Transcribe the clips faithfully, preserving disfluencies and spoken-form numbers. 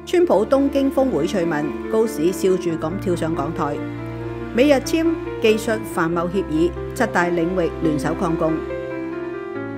川普東京峰會趣聞，高市笑住咁跳上講台。美日簽技術繁貿協議，七大領域聯手抗共。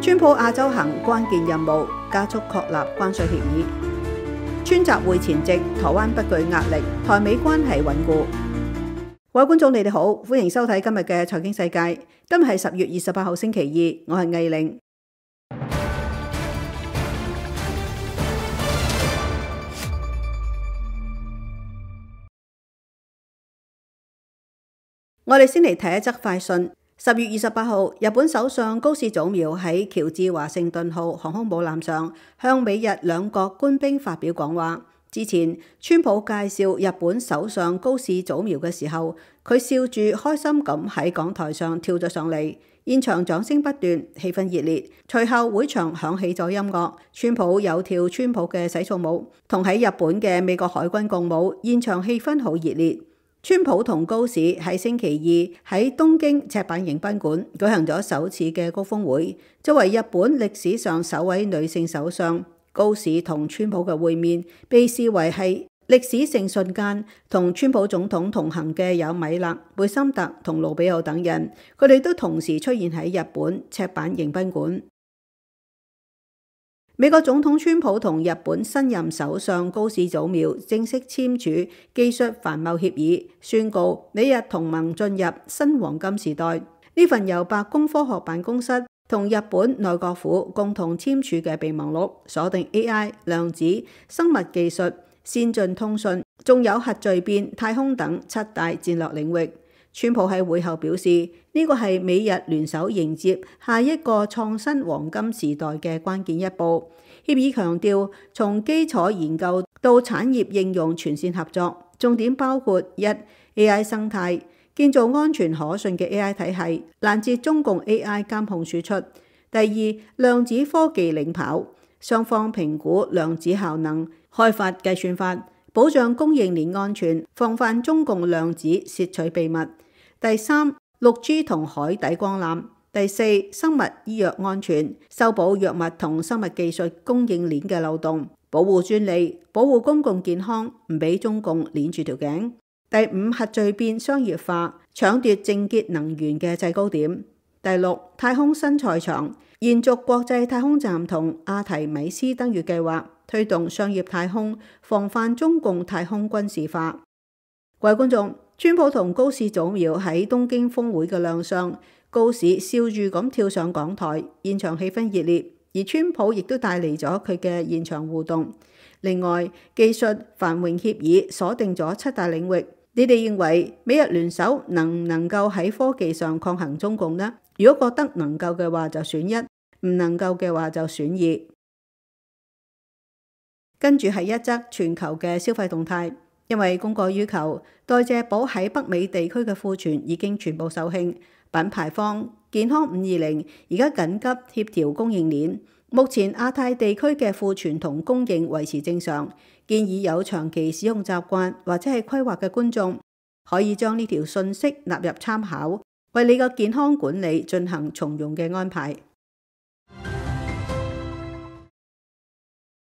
川普亞洲行關鍵任務，加速確立關稅協議。川習會前夕，台灣不懼壓力，台美關係穩固。各位觀眾，你哋好，歡迎收睇今日嘅財經世界。今日係十月二十八號星期二，我係藝玲。我哋先嚟睇一則快訊。十月二十八號，日本首相高市早苗喺喬治華盛頓號航空母艦上向美日兩國官兵發表講話。之前，川普介紹日本首相高市早苗嘅時候，佢笑住開心咁喺講台上跳咗上嚟，現場掌聲不斷，氣氛熱烈。隨後會場響起咗音樂，川普有跳川普嘅洗澡舞，同喺日本嘅美國海軍共舞，現場氣氛好熱烈。川普同高市喺星期二喺東京赤坂迎賓館舉行咗首次嘅高峰會。作為日本歷史上首位女性首相，高市同川普嘅會面被視為係歷史性瞬間。同川普總統同行嘅有米勒、貝森特同盧比奧等人，佢哋都同時出現喺日本赤坂迎賓館。美國總統川普同日本新任首相高市早苗正式簽署技術繁貿協議，宣告美日同盟進入新黃金時代。呢份由白宮科學辦公室同日本內閣府共同簽署嘅備忘錄，鎖定 A I、量子、生物技術、先進通訊，仲有核聚變、太空等七大戰略領域。川普喺會後表示，呢個係美日聯手迎接下一個創新黃金時代嘅關鍵一步。協議強調，從基礎研究到產業應用全線合作，重點包括一 A I 生態，建造安全可信嘅 A I 體系，攔截中共 A I 監控輸出；第二，量子科技領跑，雙方評估量子效能，開發計算法，保障供應鏈安全，防範中共量子竊取秘密。第三，六 G 同海底光纜；第四，生物醫藥安全，修補藥物同生物技術供應鏈嘅漏洞，保護專利，保護公共健康，唔俾中共鏈住條頸。第五，核聚變商業化，搶奪淨潔能源嘅制高點。第六，太空新賽場，延續國際太空站同阿提米斯登月計劃，推動商業太空，防範中共太空軍事化。各位觀眾，川普同高市早苗喺東京峰會嘅亮相，高市笑住咁跳上講台，現場氣氛熱烈，而川普亦都帶嚟咗佢嘅現場互動。另外，技術繁榮協議鎖定咗七大領域，你哋認為美日聯手能唔能夠喺科技上抗衡中共呢？如果覺得能夠嘅話就選一，唔能夠嘅話就選二。跟住係一則全球嘅消費動態。因為供過於求，代謝寶喺北美地區嘅庫存已經全部售罄。品牌方健康五二零而家緊急協調供應鏈，目前亞太地區嘅庫存同供應維持正常。建議有長期使用習慣或者係規劃嘅觀眾，可以將呢條信息納入參考，為你嘅健康管理進行從容嘅安排。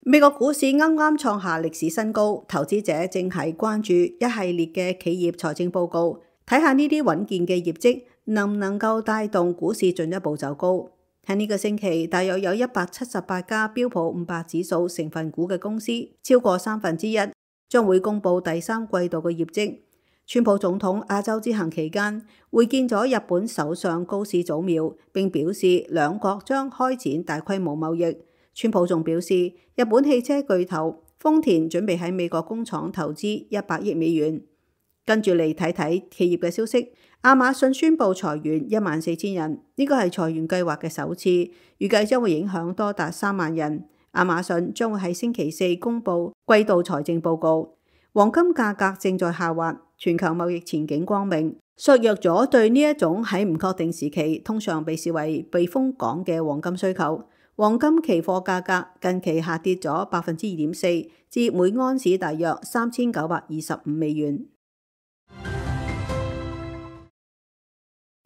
美國股市啱啱創下歷史新高，投資者正係關注一系列嘅企業財政報告，睇下呢啲穩健嘅業績能唔能夠帶動股市進一步走高。喺呢個星期，大約有一百七十八家標普五百指數成分股嘅公司，超過三分之一將會公布第三季度嘅業績。川普總統亞洲之行期間會見咗日本首相高市早苗，並表示兩國將開展大規模貿易。川普仲表示，日本汽車巨頭豐田準備喺美國工廠投資一百億美元。跟住嚟睇睇企業嘅消息，亞馬遜宣布裁員一萬四千人，呢個係裁員計劃嘅首次，預計將會影響多達三萬人。亞馬遜將會喺星期四公布季度財政報告。黃金價格正在下滑，全球貿易前景光明，削弱咗對呢一種喺唔確定時期通常被視為避風港嘅黃金需求。黃金期貨價格近期下跌咗百分之二點四，至每安士大約三千九百二十五美元。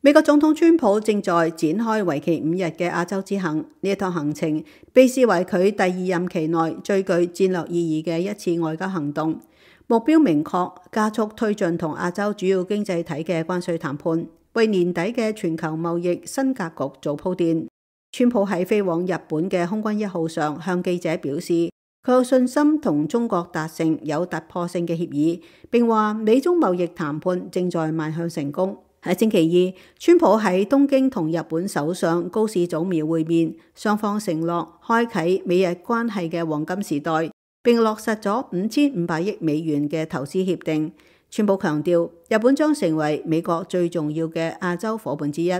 美國總統川普正在展開為期五日嘅亞洲之行，呢一趟行程被視為佢第二任期內最具戰略意義嘅一次外交行動，目標明確，加速推進同亞洲主要經濟體嘅關稅談判，為年底嘅全球貿易新格局做鋪墊。川普喺飛往日本嘅空軍一號上向記者表示，佢有信心同中國達成有突破性嘅協議，並話美中貿易談判正在邁向成功。喺星期二，川普喺東京同日本首相高市早苗會面，雙方承諾開啟美日關係嘅黃金時代，並落實咗五千五百億美元嘅投資協定。川普強調，日本將成為美國最重要嘅亞洲夥伴之一。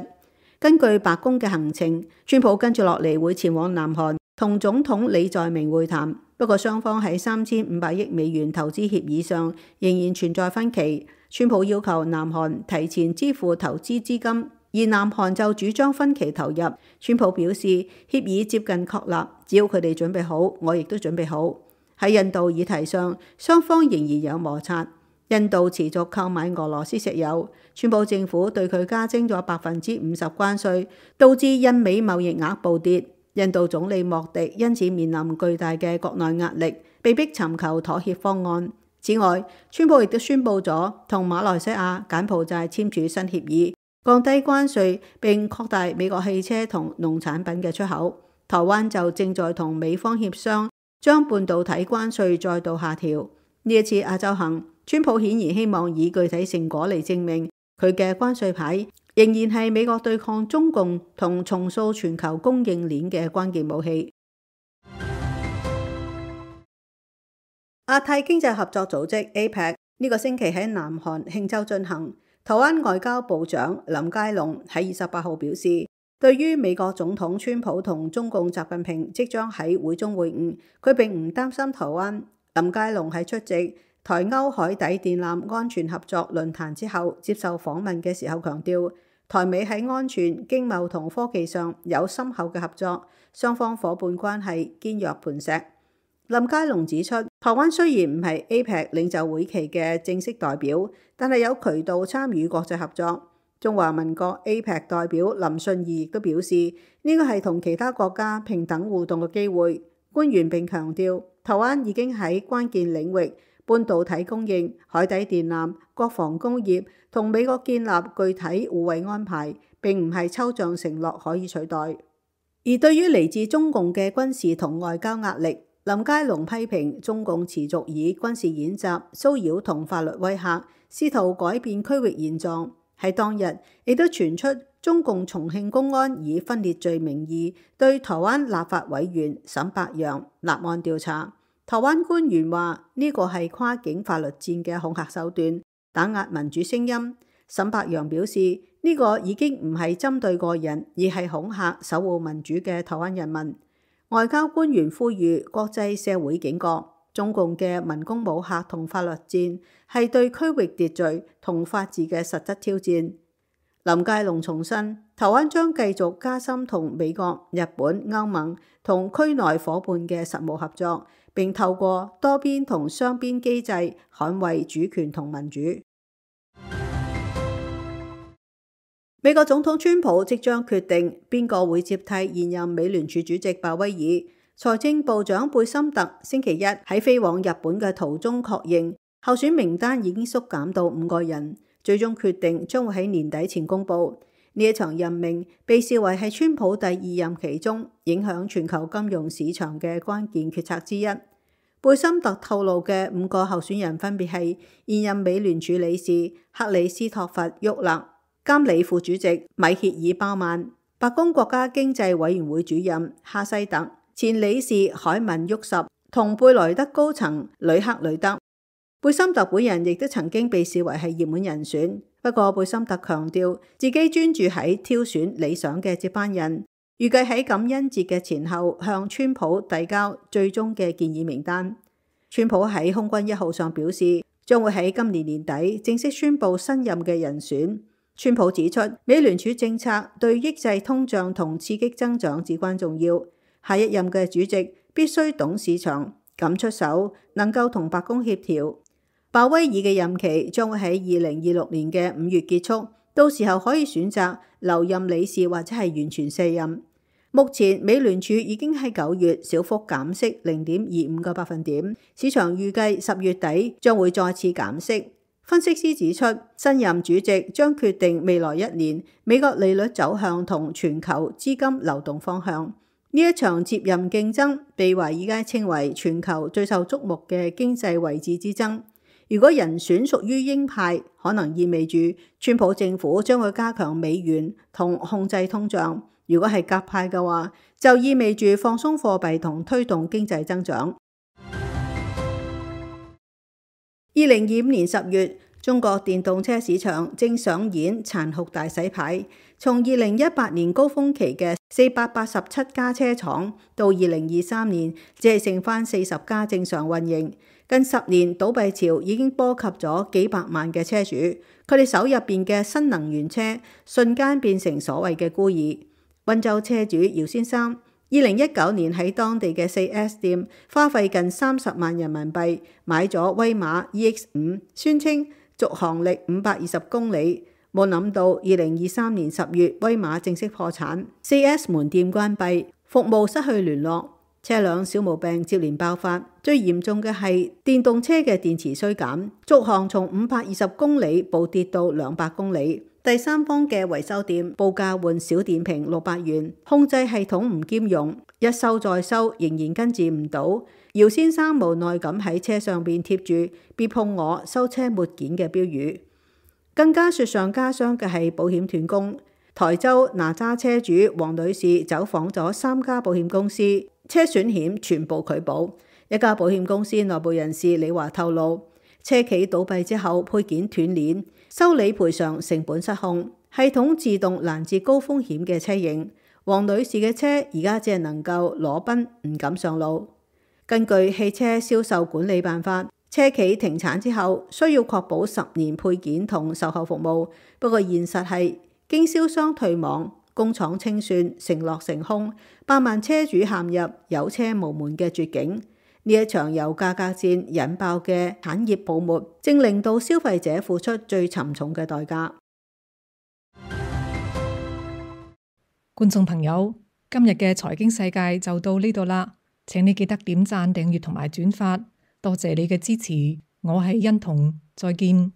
根據白宮嘅行程，川普跟住落嚟會前往南韓同總統李在明會談，不過雙方喺三千五百億美元投資協議上仍然存在分歧。川普要求南韓提前支付投資資金，而南韓就主張分期投入。川普表示，協議接近確立，只要佢哋準備好，我亦都準備好。喺印度議題上，雙方仍然有摩擦。印度持續購買俄羅斯石油，川普政府對佢加徵咗百分之五十關稅，導致印美貿易額暴跌。印度總理莫迪因此面臨巨大嘅國內壓力，被迫尋求妥協方案。此外，川普亦都宣布咗同馬來西亞、柬埔寨簽署新協議，降低關稅並擴大美國汽車同農產品嘅出口。台灣就正在同美方協商，將半導體關稅再度下調。呢一次亞洲行，川普顯然希望以具體成果嚟證明佢嘅關稅牌仍然係美國對抗中共同重塑全球供應鏈嘅關鍵武器。亞太經濟合作組織 A P E C 呢個星期喺南韓慶州進行。台灣外交部長林佳龍喺二十八號表示，對於美國總統川普同中共習近平即將喺會中會晤，佢並唔擔心台灣。林佳龍喺出席台歐海底電纜安全合作論壇之後接受訪問嘅時候強調，台美喺安全、經貿同科技上有深厚嘅合作，雙方夥伴關係堅若磐石。林佳龍指出，台灣雖然唔係 A P E C 領袖會期嘅正式代表，但係有渠道參與國際合作。中華民國 A P E C 代表林信義亦都表示，呢個係同其他國家平等互動嘅機會。官員並強調，台灣已經喺關鍵領域半導體供應、海底電纜、國防工業同美國建立具體互惠安排，並唔係抽象承諾可以取代。而對於嚟自中共嘅軍事同外交壓力，林佳龍批評中共持續以軍事演習、騷擾同法律威嚇，試圖改變區域現狀。喺當日，亦都傳出中共重慶公安以分裂罪名義對台灣立法委員沈伯洋立案調查。台灣官員話呢個係跨境法律戰嘅恐嚇手段，打壓民主聲音。沈伯洋表示呢個已經唔係針對個人，而係恐嚇守護民主嘅台灣人民。外交官員呼籲國際社會警覺，中共嘅文攻武嚇同法律戰係對區域秩序同法治嘅實質挑戰。林佳龍重申，台灣將繼續加深同美國、日本、歐盟同區內夥伴嘅實務合作，並透過多邊同雙邊機制捍衛主權同民主。美國總統川普即將決定邊個會接替現任美聯儲主席鮑威爾。財政部長貝森特星期一喺飛往日本嘅途中確認，候選名單已經縮減到五個人，最終決定將會喺年底前公佈。呢一場任命被視為係川普第二任期中影響全球金融市場嘅關鍵決策之一。貝森特透露嘅五個候選人分別係現任美聯儲理事克里斯托弗·沃勒、監理副主席米歇爾·鮑曼、白宮國家經濟委員會主任哈西特、前理事凱文·沃什同貝萊德高層呂克呂德。貝森特本人亦都曾經被視為係熱門人選，不過貝森特強調自己專注喺挑選理想嘅接班人，預計喺感恩節嘅前後向川普遞交最終嘅建議名單。川普喺空軍一號上表示，將會喺今年年底正式宣布新任嘅人選。川普指出，美聯儲政策對抑制通脹同刺激增長至關重要。下一任嘅主席必須懂市場、敢出手，能夠同白宮協調。鮑威爾嘅任期將會喺二零二六年嘅五月結束，到時候可以選擇留任理事或者係完全卸任。目前美聯儲已經喺九月小幅減息零點二五個百分點，市場預計十月底將會再次減息。分析師指出，新任主席將決定未來一年美國利率走向同全球資金流動方向。呢一場接任競爭被華爾街稱為全球最受矚目嘅經濟位置之爭。如果人選屬於鷹派，可能意味住川普政府將會加強美元同控制通脹。如果係鴿派嘅話，就意味住放鬆貨幣同推動經濟增長。二零二五年十月，中國電動車市場正上演殘酷大洗牌，從二零一八年高峰期嘅四百八十七家車廠，到二零二三年只係剩翻四十家正常運營。近十年倒閉潮已經波及咗幾百萬嘅車主，佢哋手入邊嘅新能源車瞬間變成所謂嘅孤兒。溫州車主姚先生，二零一九年喺當地嘅四 S 店花費近三十萬人民幣買咗威馬 E X 五，宣稱續航力五百二十公里。冇諗到二零二三年十月威馬正式破產，四 S 門店關閉，服務失去聯絡，車輛小毛病接連爆發。最嚴重嘅係電動車嘅電池衰減，續航從五百二十公里暴跌到兩百公里。第三方嘅維修店報價換小電瓶六百元，控制系統唔兼容，一修再修仍然跟住唔到。姚先生無奈咁喺車上邊貼住別碰我修車沒件嘅標語。更加雪上加霜嘅係保險斷供。台州哪吒車主黃女士走訪咗三家保險公司，車損險全部拒保。一家保險公司內部人士李華透露，車企倒閉之後配件斷鏈，修理賠償成本失控，系統自動攔截高風險嘅車型。黃女士嘅車而家只係能夠裸奔，唔敢上路。根據汽車銷售管理辦法，車企停產之後需要確保十年配件同售後服務。不過現實係經銷商退網，工廠清算，承諾成空，百萬車主陷入有車無門嘅絕境。呢一場由價格戰引爆嘅產業泡沫，正令到消費者付出最沉重嘅代價。觀眾朋友，今日嘅財經世界就到呢度啦，請你記得點讚、訂閱同埋轉發，多謝你嘅支持。我係欣彤，再見。